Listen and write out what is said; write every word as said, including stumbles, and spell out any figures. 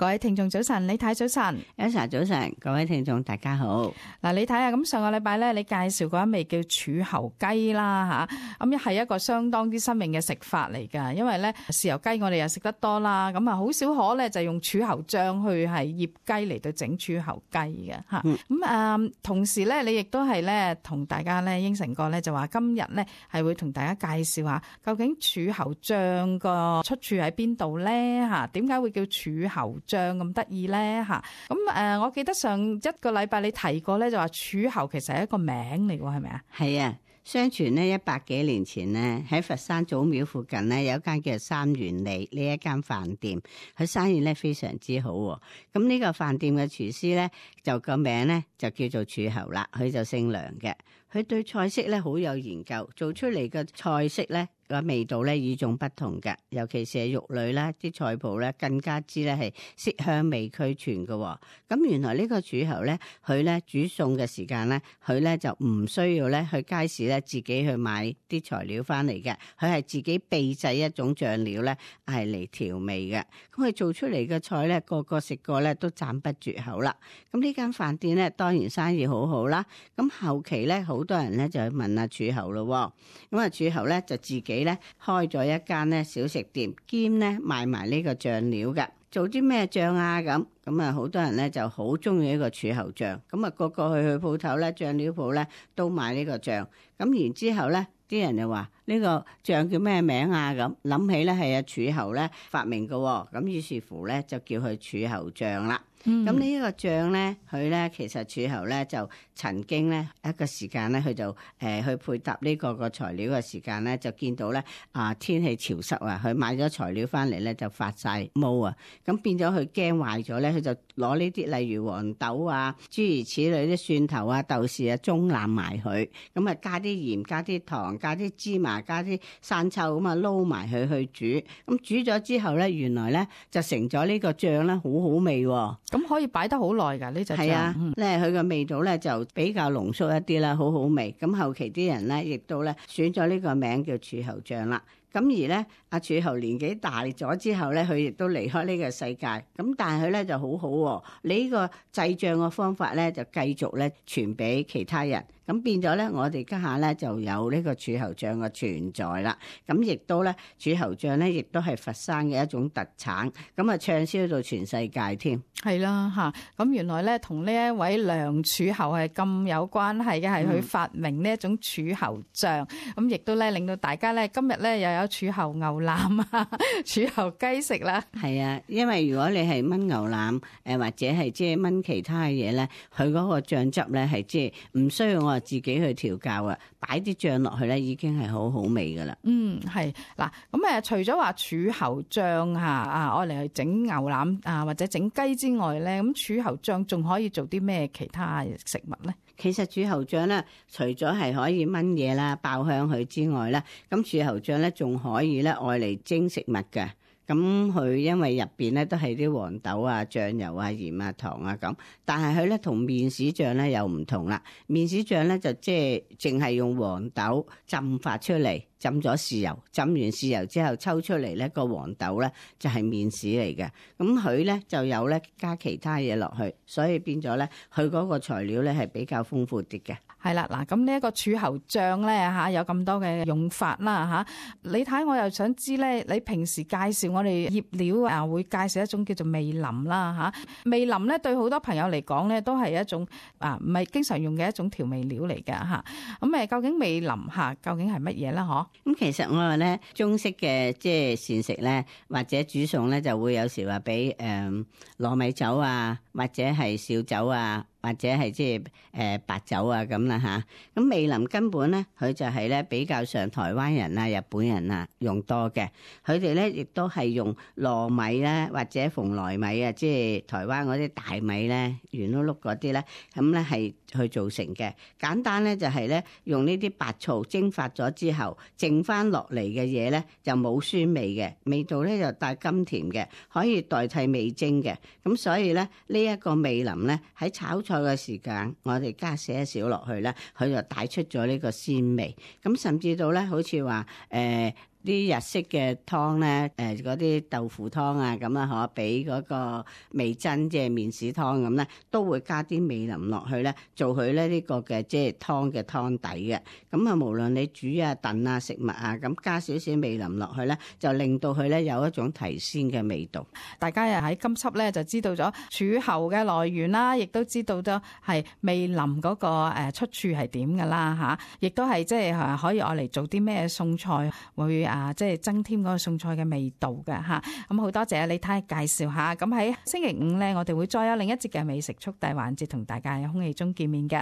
各位聽眾早晨，李太早晨， Elsa 早晨，各位聽眾大家好。嗱，你睇下咁上個禮拜咧，你介紹過一味叫柱侯雞啦吓，咁係一個相當之新穎嘅食法嚟噶。因為咧豉油雞我哋又食得多啦，咁啊好少可咧就用柱侯醬去係醃雞嚟到整柱侯雞嘅吓。咁、嗯、啊、嗯，同時咧你亦都係咧同大家咧應承過咧，就話今日咧係會同大家介紹下究竟柱侯醬個出處喺邊度咧吓？點解會叫柱侯醬咁得意咧吓？咁誒，我記得上一個禮拜你提過咧，就話柱侯其實係一個名嚟喎，係咪啊？係啊，相傳呢一百幾年前呢，喺佛山祖廟附近呢，有一間叫三元里呢一間飯店，佢生意咧非常之好。咁呢個飯店嘅廚師咧，就個名咧就叫做柱侯啦，佢就姓梁嘅。佢對菜式咧好有研究，做出嚟嘅菜式咧個味道咧與眾不同嘅，尤其是係肉類啦，啲菜譜咧更加之咧係色香味俱全嘅。咁原來呢個柱侯咧，佢咧煮餸嘅時間咧，佢咧就唔需要咧去街市咧自己去買啲材料翻嚟嘅，佢係自己秘製一種醬料咧係嚟調味嘅。咁佢做出嚟嘅菜咧，個個食過咧都讚不絕口啦。咁呢間飯店咧當然生意好好啦。咁後期咧好多人咧就去問阿柱侯咯。咁啊柱侯咧就自己咧開咗一間咧小食店，兼咧賣埋呢個醬料嘅。做啲咩醬啊？咁咁啊，好多人咧就好中意呢個柱侯醬。咁啊，個個去去鋪頭咧，醬料鋪咧都買呢個醬。咁然之後咧，啲人就話呢個醬叫咩名啊？咁諗起咧係阿柱侯咧發明嘅。咁於是乎咧就叫佢柱侯醬啦。咁、嗯、呢一個醬咧，佢咧其實柱侯咧就曾經咧一個時間咧，佢就誒、呃、去配搭呢個個材料嘅時間咧，就見到咧啊天氣潮濕啊，佢買咗材料翻嚟咧就發晒毛啊，咁變咗佢驚壞咗咧，佢就攞呢啲例如黃豆啊、諸如此類啲蒜頭啊、豆豉啊，中攬埋佢，咁啊加啲鹽、加啲糖、加啲芝麻、加啲生抽咁啊撈埋佢去煮，咁煮咗之後咧，原來咧就成咗呢個醬咧，好好味喎。咁可以擺得好耐噶呢隻醬，係啊，咧佢個味道咧就比較濃縮一啲啦，好好味。咁後期啲人咧亦都咧選咗呢個名叫柱侯醬啦。咁而咧，阿柱侯年紀大咗之後咧，佢亦都離開呢個世界。咁但係佢咧就好好喎，你呢個製醬嘅方法咧就繼續咧傳俾其他人。咁變咗咧，我哋家下咧就有呢個柱侯醬嘅存在啦。咁亦都咧，柱侯醬咧亦都係佛山嘅一種特產。咁啊，暢銷到全世界添。係啦嚇，咁原來咧同呢一位梁柱侯係咁有關係嘅，係佢發明呢一種柱侯醬。咁亦都咧令到大家咧今日咧又有柱侯牛腩啊、柱侯雞食啦。係啊，因為如果你係燜牛腩誒或者係即係燜其他嘅嘢咧，佢嗰個醬汁咧係即係唔需要我自己去調教啊，擺啲醬落去咧已經係好好味噶啦。嗯，係嗱，咁誒除咗話柱侯醬嚇啊，愛嚟去整牛腩啊或者整雞之外咧，咁柱侯醬仲可以做啲咩其他食物咧？其實柱侯醬咧，除咗係可以燜嘢啦、爆香佢之外咧，咁柱侯醬咧仲可以咧愛嚟蒸食物嘅。咁佢因為入邊咧都係啲黃豆啊、醬油啊、鹽啊、糖啊咁，但係佢咧同麵豉醬咧又唔同啦。麵豉醬咧就即係淨係用黃豆浸發出嚟，浸咗豉油，浸完豉油之後抽出嚟咧個黃豆咧就係麵豉嚟嘅。咁佢咧就有咧加其他嘢落去，所以變咗咧佢嗰個材料咧係比較豐富啲嘅。係啦，嗱，咁呢一個柱侯醬咧嚇有咁多嘅用法啦嚇，你睇我又想知咧，你平時介紹我哋醃料啊，會介紹一種叫做味淋啦嚇，味淋咧對好多朋友嚟講咧都係一種啊唔係經常用嘅一種調味料嚟嘅嚇，咁誒究竟味淋嚇究竟係乜嘢咧？嗬，咁其實我話咧中式嘅即係膳食咧，或者煮餸咧就會有時話俾誒糯米酒啊，或者係紹酒啊。或者係即係誒白酒啊咁啦吓，咁味淋根本咧佢就係咧比較上台灣人啊、日本人啊用多嘅，佢哋咧亦都係用糯米咧或者蓬萊米啊，即係台灣嗰啲大米咧圓碌碌嗰啲咧，咁咧係去做成嘅。簡單咧就係咧用呢啲白醋蒸發咗之後，剩翻落嚟嘅嘢咧就冇酸味嘅，味道咧就帶甘甜嘅，可以代替味精嘅。咁所以咧呢一個味淋咧喺炒菜嘅時間，我哋加些少落去咧，佢就帶出咗呢個鮮味。咁甚至到咧，好似話誒啲日式嘅湯咧，誒嗰啲豆腐湯啊，咁啊可比嗰個味噌即係麵豉湯咁咧，都會加啲味淋落去咧，做佢咧呢個嘅即係湯嘅湯底嘅。咁啊，無論你煮啊、燉啊、食物啊，咁加少少味淋落去咧，就令到佢咧有一種提鮮嘅味道。大家又喺今輯咧就知道咗柱侯嘅來源啦，亦都知道咗係味淋嗰個誒出處係點㗎啦嚇，亦都係即係可以愛嚟做啲咩餸菜會啊即係增添嗰個餸菜嘅味道嘅嚇。咁好多謝李太介紹下。咁喺星期五咧，我哋會再有另一節嘅美食速遞環節同大家喺空氣中見面嘅。